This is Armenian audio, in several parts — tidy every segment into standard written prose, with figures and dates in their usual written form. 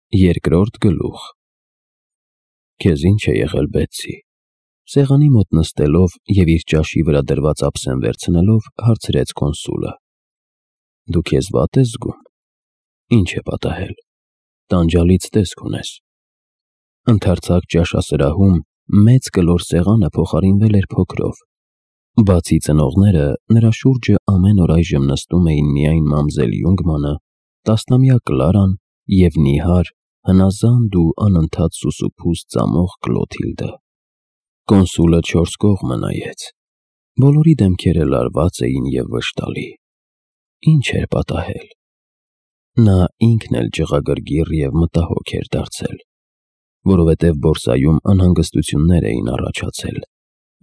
Երկրորդ գլուխ։ Քեզ ինչ է եղել, Բեցսի։ Սեղանի մոտ նստելով և իր ճաշի վրա դրված ափսեն վերցնելով, հարցրեց կոնսուլը։ Դու քեզ վատ ես զգում։ Ինչ է պատահել։ Տանջալից տեսք ունես։ Ընդարձակ ճաշասրահում մեծ կլոր սեղանը փոխարինվել էր փոքրով։ Բացի ծնողները, նրա շուրջը ամեն օր այժմ նստում էին միայն մամզել Յունգմանը, տասնամյա Կլարան և նիհար, հնազանդ ու անընդհատ սուսուփուս ծամող Կլոթիլդը։ Կոնսուլը չորս կողմը նայեց։ Բոլորի դեմքերը լարված էին և վշտալի։ Ինչ էր պատահել։ Նա ինքն էլ ջղագրգիռ և մտահոգ էր դարձել, որովհետև բորսայում անհանգստություններ էին առաջացել,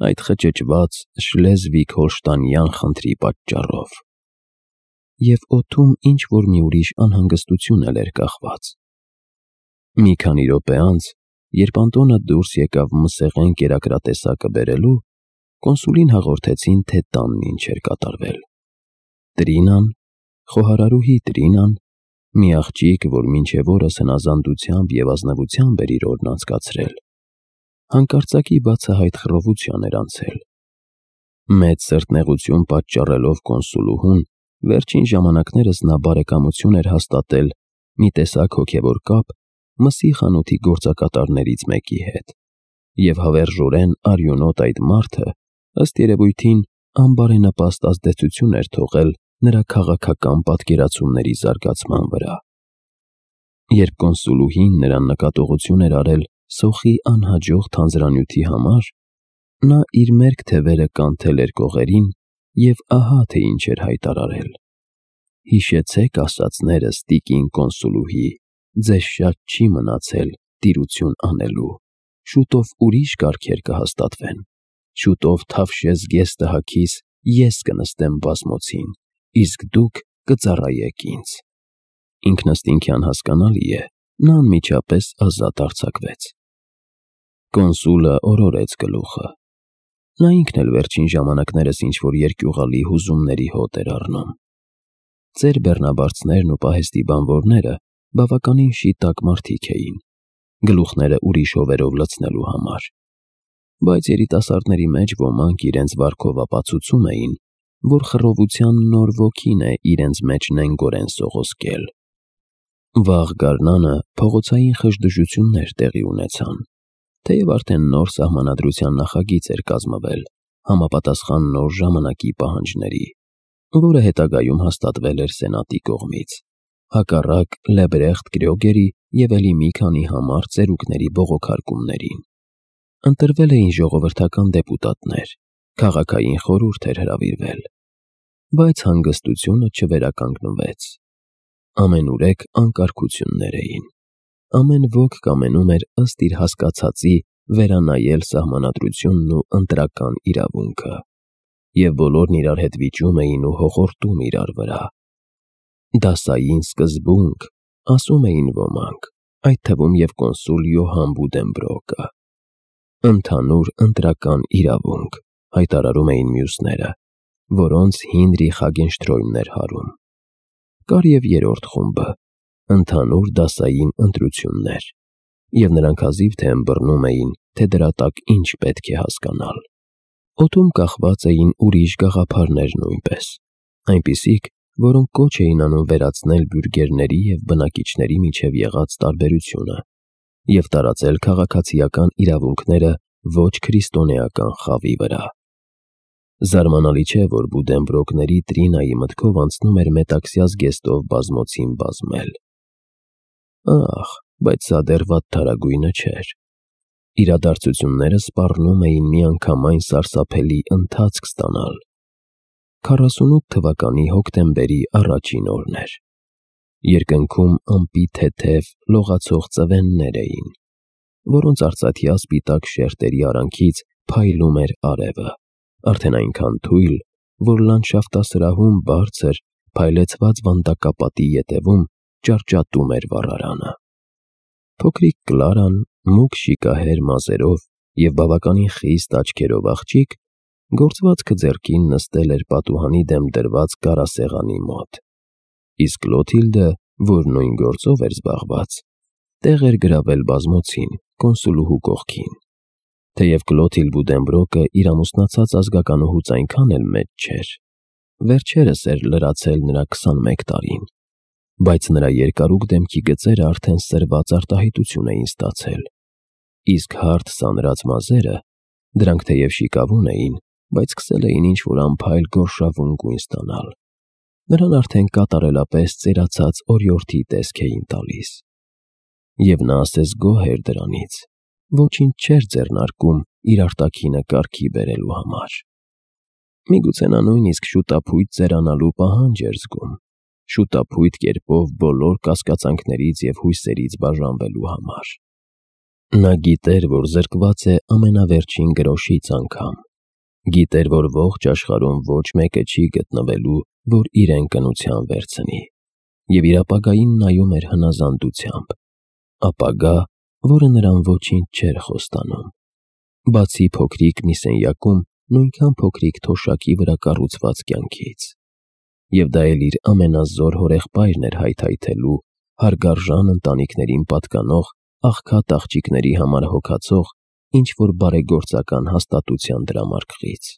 այդ խճճված շլեզվիգ-հոլշտայնյան խնդրի պատճառով։ Եվ օդում ինչ-որ մի ուրիշ անհանգստություն էլ էր կախված։ Մի քանի րոպե անց, երբ Անտոնը դուրս եկավ մսեղեն կերակրատեսակը բերելու, կոնսուլին հաղորդեցին, թե տանն ինչ էր կատարվել։ Տրինան, խոհարարուհի Տրինան, մի աղջիկ, որ մինչև օրս հնազանդությամբ և ազնվությամբ էր իր օրն անցկացրել, հանկարծակի բացահայտ խռովության էր անցել։ Մեծ սրտնեղություն պատճառելով կոնսուլուհուն, վերջին ժամանակներս նա բարեկամություն էր հաստատել մի տեսակ հոգևոր կապ մսի խանութի գործակատարներից մեկի հետ, և հավերժորեն արյունոտ այդ մարդը, ըստ երևույթին, անբարենպաստ ազդեցություն էր թողել նրա քաղաքական պատկերացումների զարգացման վրա։ Երբ կոնսուլուհին նրան նկատողություն էր արել սոխի անհաջող թանձրանյութի համար, նա իր մերկ թևերը կանթել էր կողերին և ահա թե ինչ էր հայտարարել. «Հիշեցեք ասածներս, տիկին կոնսուլուհի, ձեզ շատ չի մնացել տիրություն անելու, շուտով ուրիշ կարգեր կհաստատվեն, շուտով Թավշյա զգեստահագիս ես կնստեմ բազմոցին, իսկ դուք կծառայեք ինձ»։ Ինքնըստինքյան հասկանալի է, նա անմիջապես ազատ արձակվեց։ Կոնսուլը օրորեց գլուխը։ Նա ինքն էլ վերջին ժամանակներս ինչ-որ երկյուղալի հուզումների հոտ էր առնում։ Ծեր բեռնաբարձներն ու պահեստի բանվորները բավականին շիտակ մարդիկ էին, գլուխները ուրիշ հովերով լցնելու համար, բայց երիտասարդների մեջ ոմանք իրենց վարքով ապացուցում էին, որ խռովության նոր ոգին է իրենց մեջ նենգորեն սողոսկել։ Վաղ գարնանը փողոցային խժդժություններ տեղի ունեցան, թեև արդեն նոր սահմանադրության նախագիծ էր կազմվել, համապատասխան նոր ժամանակի պահանջների, որը հետագայում հաստատվել էր Սենատի կողմից, հակառակ Լեբրեխտ Կրյոգերի և էլի մի քանի համառ ծերուկների բողոքարկումներին։ Ընտրվել էին ժողովրդական դեպուտատներ, քաղաքային խորհուրդ էր հրավիրվել, բայց հանգստությունը չվերականգնվեց։ Ամենուրեք անկարգություններ էին։ Ամեն ոք կամենում էր ըստ իր հասկացածի վերանայել սահմանադրությունն ու ընտրական իրավունքը, և բոլորն իրար հետ վիճում էին ու հոխորտում իրար վրա։ Դասային սկզբունք, ասում էին ոմանք, այդ թվում և կոնսուլ Յոհան Բուդենբրոկը։ Ընդհանուր ընտրական իրավունք, հայտարարում էին մյուսները, որոնց Հինրիխ Ագենշտրոյմն էր հարում։ Կար և երրորդ խումբը, ընդհանուր դասային ընտրություններ, և նրանք հազիվ թե ըմբռնում էին, թե դրա տակ ինչ պետք է հասկանալ։ Օդում կախված էին ուրիշ գաղափարներ նույնպես, այնպիսիք, որոնք կոչ էին անում վերացնել բյուրգերների և բնակիչների միջև եղած տարբերությունը և տարածել քաղաքացիական իրավունքները ոչ քրիստոնեական խավի վրա։ Զարմանալի չէ, որ Բուդենբրոկների Տրինայի մտքով անցնում էր մետաքսյա զգեստով բազմոցին բազմել։ Ախ, բայց սա դեռ վատթարագույնը չէր։ Իրադարձությունները սպառնում էին միանգամայն սարսափելի ընթացք ստանալ։ 48 թվականի հոկտեմբերի առաջին օրն էր։ Երկնքում ամպի թեթև, լողացող ծվեններ էին, որոնց արծաթյա սպիտակ շերտերի արանքից փայլում էր արևը, արդեն այնքան թույլ, որ լանդշաֆտասրահում բարձր, փայլեցված վանդակապատի ետևում ճարճատում էր վառարանը։ Փոքրիկ Կլարան, մուգ շիկահեր մազերով և բավականին խիստ աչքերով աղջիկ, գործվածքը ձեռքին նստել էր պատուհանի դեմ դրված կարասեղանի մոտ, իսկ Կլոթիլդը, որ նույն գործով էր զբաղված, տեղ էր գրավել բազմոցին, կոնսուլուհու կողքին։ Թեև Կլոթիլ Բուդենբրոկը իր ամուսնացած ազգականուհուց այնքան էլ մեծ չէր, վերջերս էր լրացել նրա 21 տարին, բայց նրա երկարուկ դեմքի գծերը արդեն սրված արտահայտություն էին ստացել, իսկ հարթ սանրած մազերը, դրանք թեև շիկավուն էին, բայց սկսել էին ինչ-որ անփայլ գորշավուն գույն ստանալ։ Նրան արդեն կատարելապես ծերացած օրիորդի տեսք էին տալիս։ Եվ նա ասես գոհ էր դրանից, ոչինչ չէր ձեռնարկում իր արտաքինը կարգի բերելու համար։ Միգուցե նա նույնիսկ շուտափույթ ծերանալու պահանջ էր զգում, շուտափույթ կերպով բոլոր կասկածանքներից և հույսերից բաժանվելու համար։ Նա գիտեր, որ զրկված է ամենավերջին գրոշից անգամ, գիտեր, որ ողջ աշխարհում ոչ մեկը չի գտնվելու, որ իրեն կնության վերցնի, և իր ապագային նայում էր հնազանդությամբ, ապագա, որը նրան ոչինչ չէր խոստանում, բացի փոքրիկ մի սենյակում նույնքան փոքրիկ թոշակի վրա կառուցված կյանքից, և դա էլ իր ամենազոր հորեղբայրն էր հայթայթելու հարգարժան ընտանիքներին պատկանող աղքատ աղջիկների համար հոգացող ինչ-որ բարեգործական հաստատության դրամարկղից։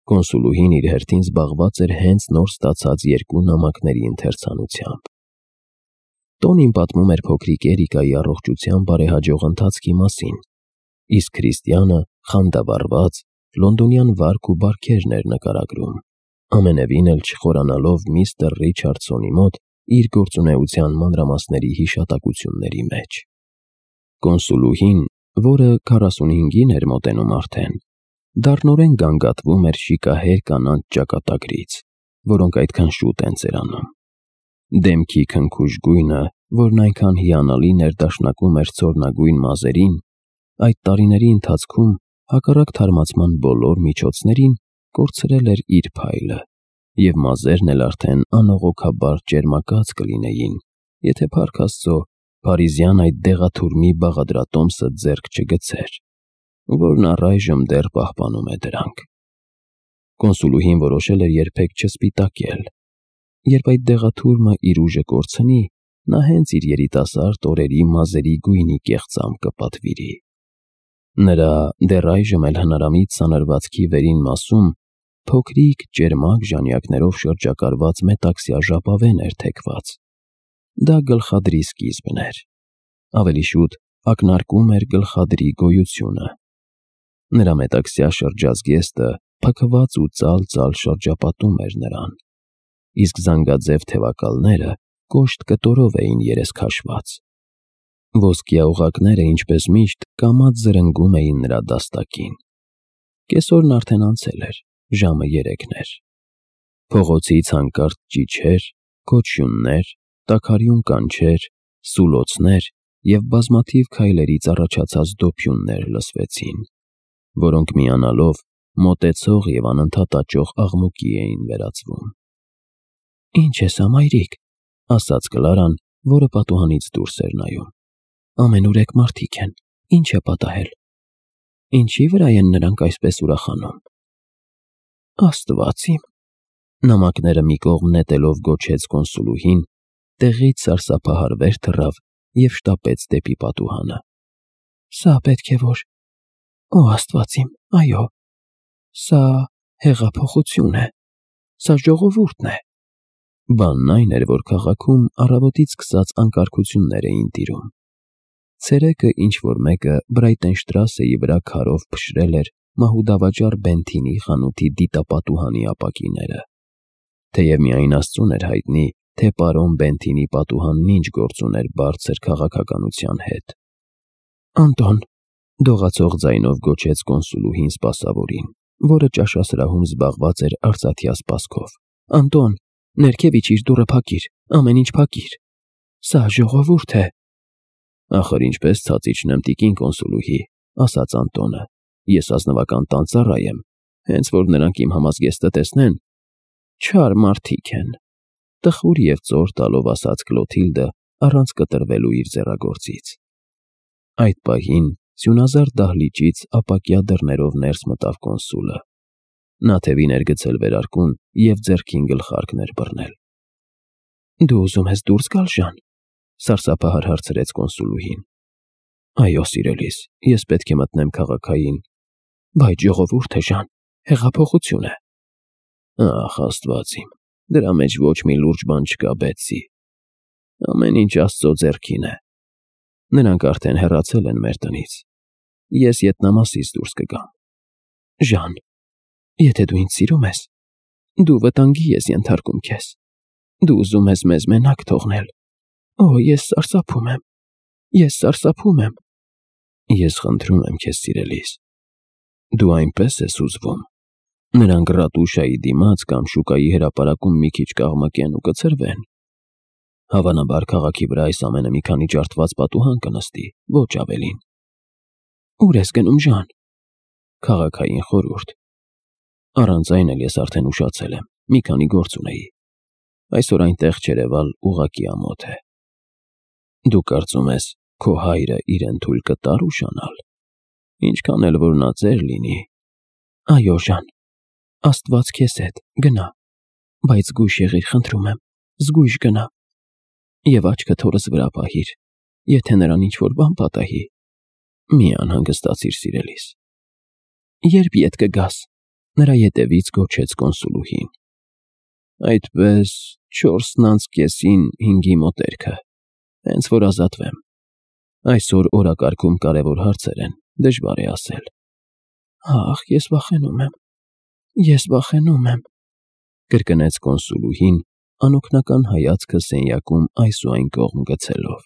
Կոնսուլուհին իր հերթին զբաղված էր հենց նոր ստացած 2 նամակների ընթերցանությամբ։ Տոնին պատմում էր փոքրիկ Էրիկայի առողջության բարեհաջող ընթացքի մասին, իսկ Քրիստիանը խանդավառված լոնդոնյան վարք ու բարքերն էր նկարագրում, ամենևին էլ չխորանալով միստր Ռիչարդսոնի մոտ իր գործունեության մանրամասների հիշատակությունների մեջ։ Կոնսուլուհին, որը 45-ին էր մոտենում արդեն, դառնորեն գանգատվում էր շիկահեր կանանց ճակատագրից, որոնք այդքան շուտ են ծերանում։ Դեմքի քնքուշ գույնը, որն այնքան հիանալի ներդաշնակում էր ցորնագույն մազերին, այդ տարիների ընթացքում հակառակ թարմացման բոլոր միջոցներին կորցրել էր իր փայլը, և մազերն էլ արդեն անողոքաբար ճերմակած կլինեին, եթե փառք Աստծո Փարիզյան այդ դեղաթուրմի բաղադրատոմսը ձեռք չգցեր, որն առայժմ դեռ պահպանում է դրանք։ Կոնսուլուհին որոշել էր երբեք չսպիտակել։ Երբ այդ դեղաթուրմը իր ուժը կորցնի, նա հենց իր երիտասարդ օրերի մազերի գույնի կեղծամբ կպատվիրի։ Նրա դեռ այժմ էլ հնարամիտ սանրվածքի վերին մասում փոքրիկ ճերմակ ժանյակներով շրջակալված մետաքսյա ժապավեն էր թեքված։ Դա գլխադրի սկիզբն էր։ Ավելի շուտ ակնարկում էր գլխադրի գոյությունը։ Նրա մետաքսյա շրջազգեստը փքված ու ծալ-ծալ շրջապատում էր նրան, իսկ զանգաձև թևակալները կոշտ կտորով էին երես քաշված։ Ոսկյա օղակները, ինչպես միշտ, կամաց զրնգում էին նրա դաստակին։ Կեսօրն արդեն անցել էր, ժամը 3 էր։ Փողոցից հանկարծ ճիչեր, քոչյուններ, տաքարյուն կանչեր, սուլոցներ և բազմաթիվ քայլերից առաջացած դոփյուններ լսվեցին, որոնք միանալով մոտեցող և անընդհատ աճող աղմուկի էին վերածվում։ «Ինչ ես, մայրիկ», ասաց Կլարան, որը պատուհանից դուրս էր նայում։ «Ամենուրեք մարդիկ են, ինչ է պատահել։ Ինչի վրա են նրանք այսպես ուրախանում»։ «Աստված իմ», նամակները մի կողմ նետելով գոչեց կոնսուլուհին, տեղից սարսափահար վեր թռավ և շտապեց դեպի պատուհանը։ «Սա պետք է որ… Օ Աստված իմ, այո, սա հեղափոխություն է, սա ժողովուրդն է»։ Բանն այն էր, որ քաղաքում առավոտից սկսած անկարգություններ էին տիրում։ Ցերեկը ինչ-որ մեկը Բրայտենշտրասեի վրա քարով փշրել էր մահուդավաճառ Բենթինի խանութի դիտապատուհանի ապակիները։ Թեև միայն Աստծուն էր հայտնի, թե պարոն Բենթինի պատուհանն ինչ գործ ուներ բարձր քաղաքականության հետ։ «Անտոն», դողացող ձայնով գոչեց կոնսուլուհին սպասավորին, որը ճաշասրահում զբաղված էր արծաթյա սպասքով։ «Անտոն, ներքև իջիր, դուռը փակիր, ամեն ինչ փակիր։ Սա ժողովուրդ է»։ «Ախր ինչպես ցած իջնեմ, տիկին կոնսուլուհի», ասաց Անտոնը։ «Ես ազնվական տանծառայ եմ, հենց որ նրանք իմ համազգեստը տեսնեն»։ «Չար մարդիկ են», տխուր և ծոր տալով ասաց Կլոթիլդը, առանց կտրվելու իր ձեռագործից։ Այդ պահին սյունազարդ դահլիճից ապակյա դռներով ներս մտավ կոնսուլը։ Նա թևին էր գցել վերարկուն և ձեռքին գլխարկն էր բռնել։ «Դու ուզում ես դուրս գալ, Ժան»։ Սարսափահար հարցրեց կոնսուլուհին։ Այո, սիրելիս, ես պետք է մտնեմ քաղաքային։ Բայց ժողովուրդ է, Ժան, հեղափոխություն է։ Ախ, Աստված իմ, դրա մեջ ոչ մի լուրջ բան չկա, Բեթսի։ Ամեն ինչ Աստծո ձեռքին է։ Նրանք արդեն հեռացել են մեր տնից։ Ես ետնամասից դուրս կգամ։ Ժան, եթե դու ինձ սիրում ես, դու վտանգի ես ենթարկում քեզ։ Դու ուզում ես մեզ մենակ թողնել։ Օ, ես սարսափում եմ։ Ես սարսափում եմ։ Ես խնդրում եմ քեզ, սիրելիս։ Դու այնպես ես ուզվում։ Նրանք ռատուշայի դիմաց կամ շուկայի հրապարակում մի քիչ կաղմկեն ու կցրվեն։ Հավանաբար քաղաքի վրա այս ամենը մի քանի ջարդված պատուհան կնստի, ոչ ավելին։ Ուր ես գնում, Ժան։ Քաղաքային խորհուրդ։ Առանց այն էլ ես արդեն ուշացել եմ, մի քանի գործ ունեի։ Այսօր այնտեղ չերևալ ուղղակի ամոթ է։ Դու կարծում ես, քո հայրը իրեն թույլ կտար ուշանալ։ Ինչքան էլ որ նա ծեր լինի։ Այո, Ժան, Աստված քեզ հետ, գնա, բայց զգույշ եղիր, խնդրում եմ, զգույշ գնա։ Եվ աչքդ հորս վրա պահիր, եթե նրան ինչ-որ բան պատահի։ Մի անհանգստացիր, սիրելիս։ Երբ ետ կգաս, նրա ետևից գոչեց կոնսուլուհին։ Այդպես 4:45-ի մոտերքը, հենց որ ազատվեմ։ Այսօր օրակարգում կարևոր հարցեր են, դժվար է ասել։ Ախ, ես վախենում եմ, կրկնեց կոնսուլուհին, անօգնական հայացքը սենյակում այս ու այն կողմ գցելով։